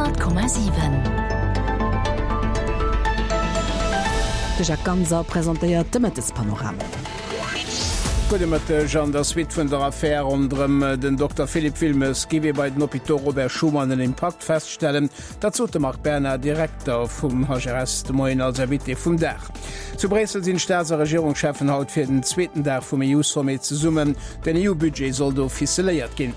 100,7. De Jacques Ganser presentéiert de Mëttespanorama. Gudde Mëtteg. An der Suite vun der Affär ronderëm den Dokter Philippe Wilmes géif ee bei den Hôpitaux Robert Schuman en Impakt feststellen. Dat sot de Marc Berna, Direkter vum HRS, de Moien als Invité vum Dag. Zu Bréissel sinn d'Staats a Regierungscheffen haut fir den zweeten Dag vum EU-Sommet zesummen. Den EU-Budget soll do ficeléiert ginn.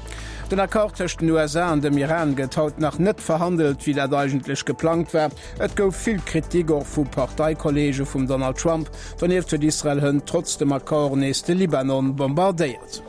Den Accord tëscht den USA an dem Iran gëtt haut nach net verhandelt, wéi dat eigentlech geplangt war. Et gouf vill Kritik, och vu Parteikolleege vum Donald Trump. Donieft huet Israel hënt trotz dem Accord nees de Libanon bombardéiert.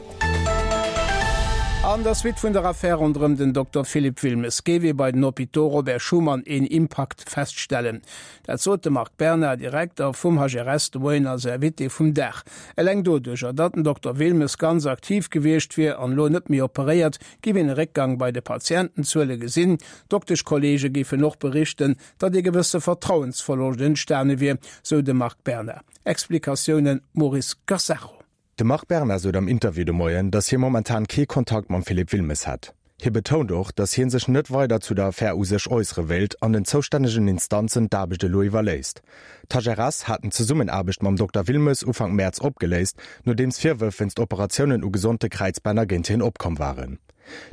An der Suite vun der Affär ronderëm den Dokter Philippe Wilmes géif ee bei den Hôpitaux Robert Schuman een Impakt feststellen. Dat sot de Marc Berna, Direkter vum HRS, de Moien als Invité vum Dag. Eleng doduercher, datt den Dokter Wilmes ganz aktiv gewiescht wier an elo net méi operéiert, giff een e Réckgang bei de Patientenzuele gesinn. Dokteschkolleege géifen och berichten, datt ee gewësse Vertrauensverloscht entstane wier, sou de Marc Berna. Explikatiounen Maurice Gassacho. De Marc Berna sot am Interview de Moien, datt hie momentan kee Kontakt mam Philippe Wilmes hätt. Hie betount och, datt hie sech net weider zu der Affär u sech äussere wéilt an den zoustännegen Instanzen d'Aarbecht elo iwwerléisst. D'HRS haten d'Zesummenaarbecht mam Dokter Wilmes Ufank Mäerz opgeléist, nodeems Virwërf wéinst Operatiounen u gesonte Kräizbänner géint hien opkomm waren.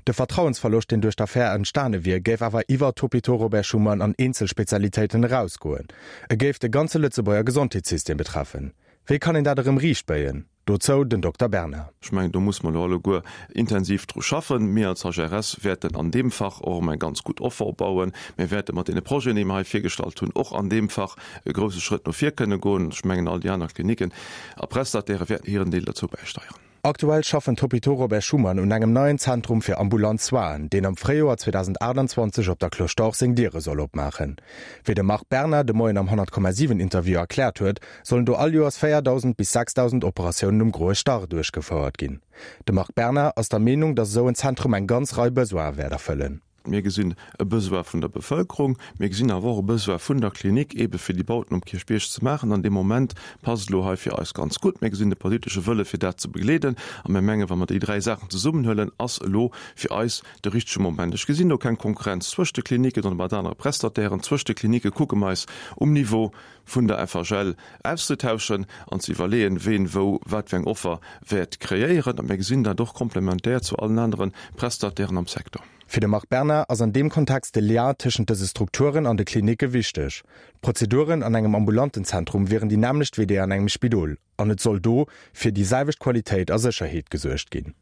De Vertrauensverloscht, deen duerch d'Affär entstane wier, géif awer iwwer d'Hôpitaux Robert Schuman an eenzel Spezialitéiten erausgoen. E géif de ganze Lëtzebuerger Gesondheetssystem betreffen. Wéi kann een dat erëm riichtbéien? Dozou den Dokter Berna. Ech mengen, do musse mer elo alleguer intensiv dru schaffen. Mir als HRS wäerten an deem Fach och erëm eng ganz gutt Offer opbauen. Mir wäerte mat deene Projeten, déi mer hei virgestallt hunn, och an deem Fach e grouse Schrëtt no vir kënne goen. Ech mengen, all déi aner Kliniken a Prestataire wäerten hiren Deel derzou bäisteieren. Aktuell schaffen d'Hôpitaux Robert Schuman un engem neien Zentrum fir ambulant Soinen, deen am Fréijoer 2028 op der Cloche d'Or seng Diere soll opmaachen. Wéi de Marc Berna de Moien am 100,7 Interview erkläert huet, sollen do all Joers 4.000 bis 6.000 Operatiounen um groe Starr duerchgefouert ginn. De Marc Berna ass der Meenung, datt esou en Zentrum eng ganz Rei Besoine wäert erfëllen. Mir gesinn e Besoin vun der Bevëlkerung, mir gesinn awer och e Besoin vun der Klinik, eebe fir déi Bauten um Kierchbierg ze maachen. An dee Moment passt elo hei fir eis ganz gutt. Mir gesinn de politesche Wëlle fir dat ze begleeden. A mir mengen, wa mer déi dräi Saachen zesummenhuelen, ass elo fir eis de richtege Moment. Ech gesinn do keng Konkurrenz zwëscht de Kliniken oder mat anere Prestatairen. Zwëscht de Klinike kucke mer eis um Niveau vun der FHL auszetauschen an ze iwwerleeën, ween wou wat fir eng Offer wäert kreéieren. A mir gesinn dat och komplementär zu allen anere Prestatairen am Secteur. Fir de Marc Berna ass an deem Kontext de Lien tëschent dëse Strukturen an de Klinicke wichteg. D'Prozeduren an engem ambulanten Zentrum wieren déi nämmlecht wéi déi an engem Spidol an et soll do fir déi selwecht Qualitéit a Sécherheet gesuergt ginn.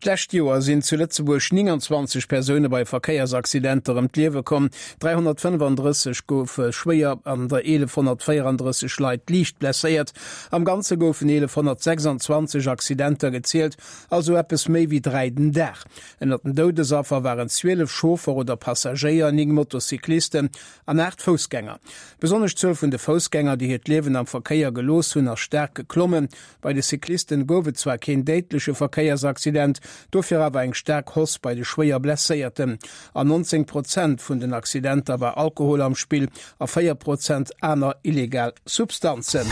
D'lescht Joer sinn zu Lëtzebuerg 29 Persoune bei Verkéiersaccidenter ëm d'Liewe komm, 335 goufe schwéier an der 1.134 Leit liicht blesséiert. Am Ganze goufen 1.126 Accidenter gezielt, also eppes méi wéi 3 den Dag. Ënnert den Doudesaffer waren 12 Chauffer oder Passagéier, 9 Motocyclisten an 8 Foussgänger. Besonnesch d'Zuel vun de Foussgänger, déi hiert Liewen am Verkéier gelooss hunn, ass staark geklommen. Bei de Cyclisten gouf et zwar keen déidleche Verkéiersaccident, dofir awer eng staark Hausse bei de schwéier Blesséierten. An 19 Prozent vun den Accidenter war Alkohol am Spill a 4 Prozent aner illegal Substanzen.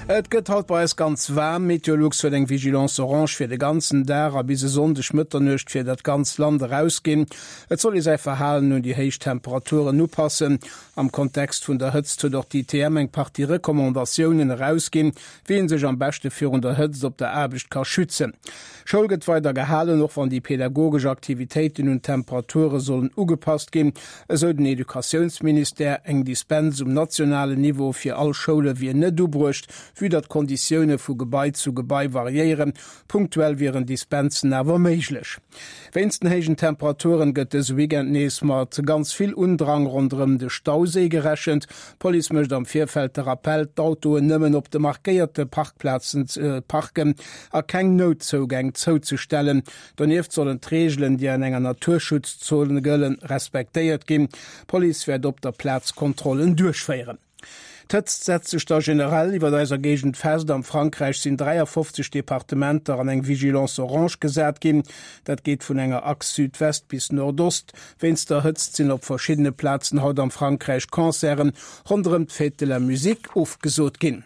Et gëtt haut bei eis ganz waarm. Meteolux huet eng Vigilance orange fir de ganzen Dag a bis e Sonndeg Mëtternuecht fir dat ganzt Land erausginn. Et soll ee säi Verhalen un déi héich Temperaturen upassen. Am Kontext vun der Hëtzt huet och d'ITM eng Partie Recommandatiounen erausginn, wéi ee sech am beschte virun der Hëtzt op der Aarbecht ka schützen. Schoul gëtt weider gehalen, och wann déi pedagogesch Aktivitéiten un d'Temperature sollen ugepasst ginn, esou den Educatiounsministère. Eng Dispens um nationalen Niveau fir all Schoule wier net ubruecht, vue datt d'Konditioune vu Gebai zu Gebai variéieren. Punktuell wieren Dispensen awer méiglech. Wéinst den héijen Temperaturen gëtt dëse Weekend nees mat ganz vill Undrang ronderëm de Stauséi gerechent. D'Police mécht am Virfeld de Rappell, d'Autoen nëmmen op de markéierte Parkplazen ze parken a keng Noutzougäng zouzestellen. Donieft sollen d'Reegelen, déi an enger Naturschutzzon gëllen, respektéiert ginn. D'Police wäert op der Plaz Kontrollen duerchféieren. D'Hëtzt setzt sech da generell iwwert eiser Géigend fest. Am Frankräich sinn 53 Departementer an eng Vigilance orange gesat ginn. Dat geet vun enger Achs Südwest bis Nordost. Wéinst der Hëtzt sinn op verschiddene Plazen haut am Frankräich Concerten ronderëm d'Fête de la Musique ofgesot ginn.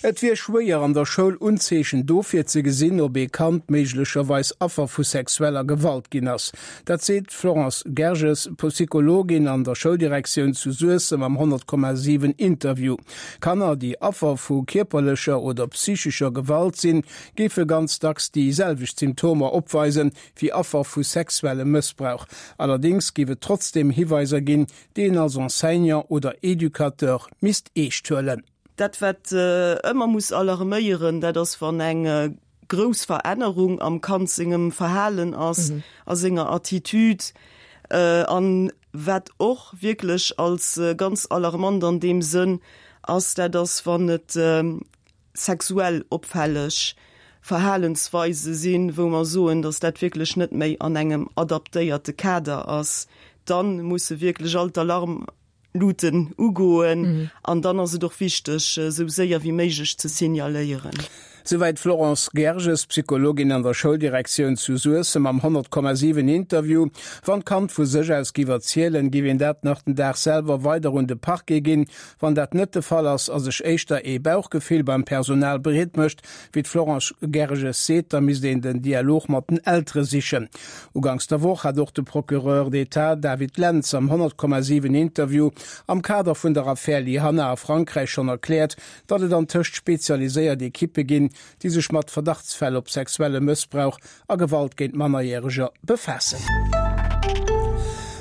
Et wier schwéier an der Schoul Unzeechen dofir ze gesinn, ob ee Kand méiglecherweis Affer vu sexueller Gewalt ginn ass. Dat seet d'Florence Gerges, Psychologin an der Schouldirektioun zu Suessem am 100,7 Interview. Kanner, déi Affer vu kierperlecher oder psychescher Gewalt sinn, géife ganz dacks déi selwecht Symptomer opweisen, wéi Affer vu sexuellem Mëssbrauch. Allerdéngs géif et trotzdeem Hiweiser ginn, déi een als Enseignant oder Educateur misst eescht huelen. Dat wat ëmmer muss alarméieren, dat ass wann eng grouss Verännerung am Kand sengem Verhalen ass, a senger Attitude. An wat och wierklech als ganz alarmant an deem Sënn ass, dat ass wann et sexuell opfälleg Verhalensweise sinn, wou mer soen, datt dat wierklech net méi an engem adaptéierte Kader ass, dann musse wierklech all d'Alarmluten ugoen an dann ass et och wichteg, esou séier wéi méiglech ze signaléieren. Souwäit d'Florence Gerges, Psychologin an der Schouldirektioun zu Suessem am 100,7 Interview. Wann d'Kand vu sech aus giff erzielen, giff een dat nach den Dag selwer weider un de Parquet ginn. Wann dat net de Fall ass a sech éischter ee Bauchgefill beim Personal breet mécht, wéi d'Florence Gerges seet, da misst een den Dialog mat den Eltere sichen. Uganks der Woch hat och de Procureur d'État David Lentz am 100,7 Interview am Kader vun der Affär Lyhanna a Frankräich schonn erkläert, datt et antëscht spezialiséiert Ekippe ginn, déi sech mat Verdachtsfäll op sexuelle Mëssbrauch a Gewalt géint Mannerjäreger befaassen.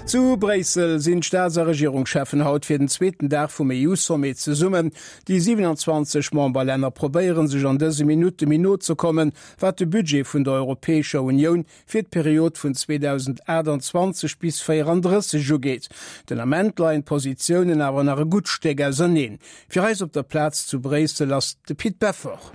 Zu Bréissel sinn d'Staats a Regierungscheffen haut fir den zweeten Dag vum EU-Sommet zesummen. Déi 27 Memberlänner probéiere sech an dëse Minutte méi no ze kommen, wat de Budget vun der Europäescher Unioun fir d'Period vun 2028 bis 34 ugeet. Den Ament leien d'Positiounen awer nach e gutt Stéck auserneen. Fir eis op der Plaz zu Bréissel ass de Pit Beffort.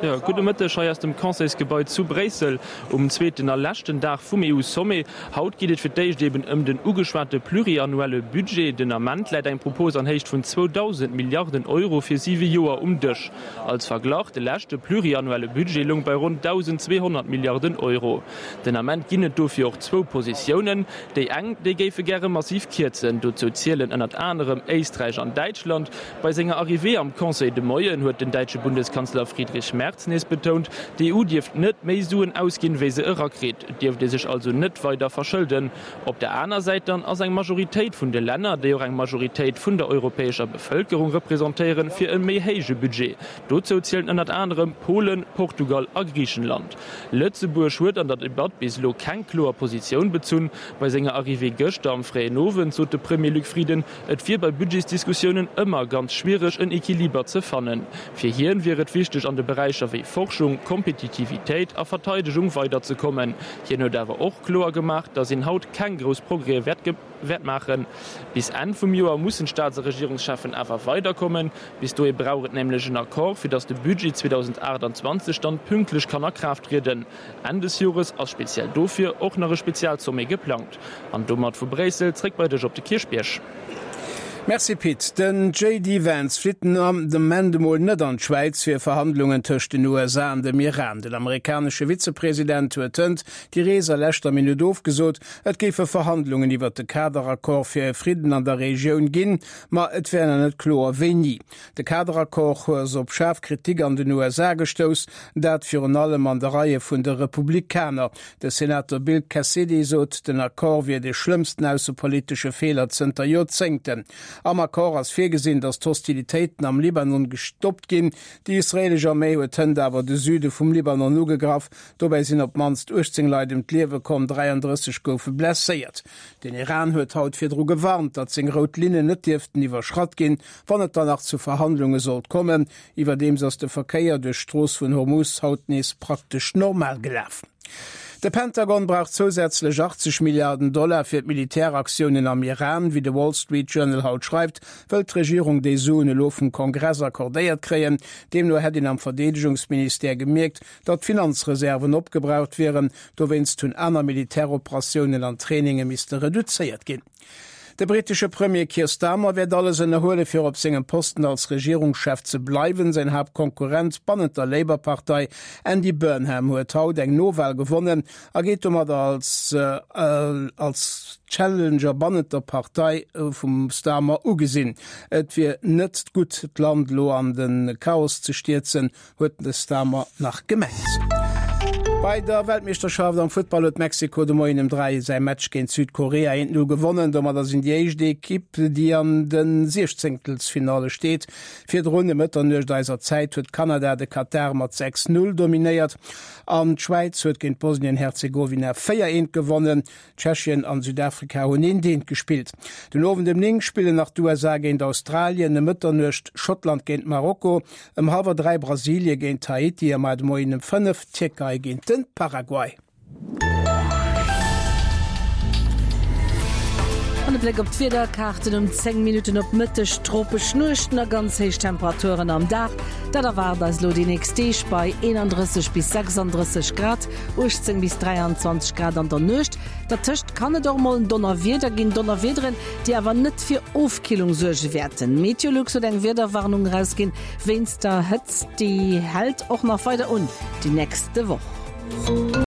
Jo, gudde Mëtteg hei aus dem Conseilsgebai zu Bréissel um zweeten a leschten Dag vum EU-Sommet. Haut geet et fir d'éischt eben ëm den ugeschwate pluriannuelle Budget. Den Ament läit eng Propos an Héicht vun 2.000 Milliarden Euro fir siwe Joer um Dësch. Als Verglach, de leschte pluriannuelle Budget loung bei ronn 1.200 Milliarden Euro. Den Ament ginn et dofir och zwou Positiounen. Déi eng, déi géife gäre massiv kierzen. Dozou zielen ënnert anerem Éisträich an Däitschland. Bei senger Arrivée am Conseil de Moien huet den däitsche Bundeskanzler Friedrich Merz nees betount, d'EU dierft net méi Suen ausginn, wéi se erakritt. Et dierft ee sech also net weider verschëlden. Op der aner Säit dann ass eng Majoritéit vun de Länner, déi och eng Majoritéit vun der europäescher Bevëlkerung representéieren, fir e méi héije Budget. Dozou zielen ënnert anerem Polen, Portugal a Griichenland. Lëtzebuerg huet an der Debatt bis elo keng kloer Positioun bezunn. Bei senger Arrivée gëschter am fréien Owend sot de Premier Luc Frieden, Et wier bei Budgetsdiskussiounen ëmmer ganz schwiereg en Equiliber ze fannen. Fir hien wier et wichteg an de Beräicher wéi Forschung, Kompetitivitéit a Verteidegung weiderzekommen. Hien huet awer och kloer gemaach, datt een haut keng grouss Progrèse wäert maachen. Bis Enn vum Joer mussen d'Staats a Regierungscheffen awer weiderkommen. Bis dohi brauch et nämlech en Accord, fir datt de Budget 2028 dann pünktlech kann a Kraaft trieden. Enn des Jores ass speziell dofir och nach e Spezialsommet geplangt. An domat vu Bréissel zréck bei dech op de Kierchbierg. Merci Pit. Den JD Vance flitt den Ament emol net an d'Schwäiz fir Verhandlungen tëscht den USA an dem Iran. Den amerikanesche Vizepresident huet hënt déi Rees a leschter Minutt ofgesot. Et géife Verhandlungen iwwert de Kaderaccord fir e Fridden an der Regioun ginn, ma et wär nach net kloer wéini. De Kaderaccord ass op schaarf Kritik an den USA gestouss, dat virun allem an de Reie vun de Republikaner. De Senator Bill Cassidy sot, den Accord wier de schlëmmsten aussepolitesche Feeler zënter Joerzéngten. Am Accord ass virgesinn, datt d'Hostilitéiten am Libanon gestoppt ginn. Déi israeelesch Arméi huet hënt awer de Süde vum Libanon ugegraff. Dobäi sinn op d'mannst 18 Leit ëm d'Liewe komm, 33 goufe blesséiert. Den Iran huet haut virdru gewarnt, datt seng rout Linnen net dierften iwwerschratt ginn, wann et dann nach zu Verhandlunge sollt kommen. Iwwerdeems ass de Verkéier duerch d'Strooss vun Hormuz haut nees praktesch normal gelaf. De Pentagon brauch zousätzlech 80 Milliarden Dollar fir d'Militäraktiounen am Iran. Wéi de Wall Street Journal haut schreift, wëllt d'Regierung déi Suen elo vum Kongress accordéiert kréien. Deemno hätt een am Verdeedegungsministère gemierkt, datt d'Finanzreserven opgebraucht wieren. Dowéinst hunn aner Militäroperatiounen an Traininge misste reduzéiert ginn. De brittesche Premier Keir Starmer wäert alles ënnerhuele fir op sengem Posten als Regierungschef ze bleiwen. Säin Haaptkonkurrent bannent der Labour-Partei, Andy Burnham, huet haut eng Nowal gewonnen a geet domadder als als Challenger bannent der Partei vum Starmer ugesinn. Et wier net gutt d'Land elo an de Chaos ze stierzen, huet de Starmer nach gemengt. Bei der Weltmeeschterschaft am Futtball huet Mexiko de Moien ëm 3 säi Match géint Südkorea 1, 0 gewonnen. Domadder sinn déi éischt Ekipp, déi an de Siechzéngtelsfinalle steet. Virdrun ëm Mëtternuecht eiser Zäit huet Kanada de Katar mat 6, 0 dominéiert an d'Schwäiz huet géint Bosnien-Herzegowina 4, 1 gewonnen. Tschechien an Südafrika hunn eent eent gespillt. Den Owend ëm 9 spillen nach d'USA géint Australien, ëm Mëtternuecht Schottland géint Marokko, ëm hallwer 3 Brasilie géint Haiti a mar de Moien ëm 5 d'Tierkei géint de Paraguay. An e Bléck op d'Wiederkaarten um 10 Minutten op Mëtteg, Tropesch Nuechten a ganz héich Temperaturen am Dag, dat erwaart eis elo déi nächst Deeg bei 31 bis 36 Grad. 18 bis 23 Grad an der Nuecht. Dertëscht kann et och mol en Donnerwieder ginn, Donnerwiederen, déi awer net fir Ofkillung suerge wäerten. Meteolux huet eng Wiederwarnung erausginn wéinst der Hëtzt, déi hält och nach weider un déi nächste Woch.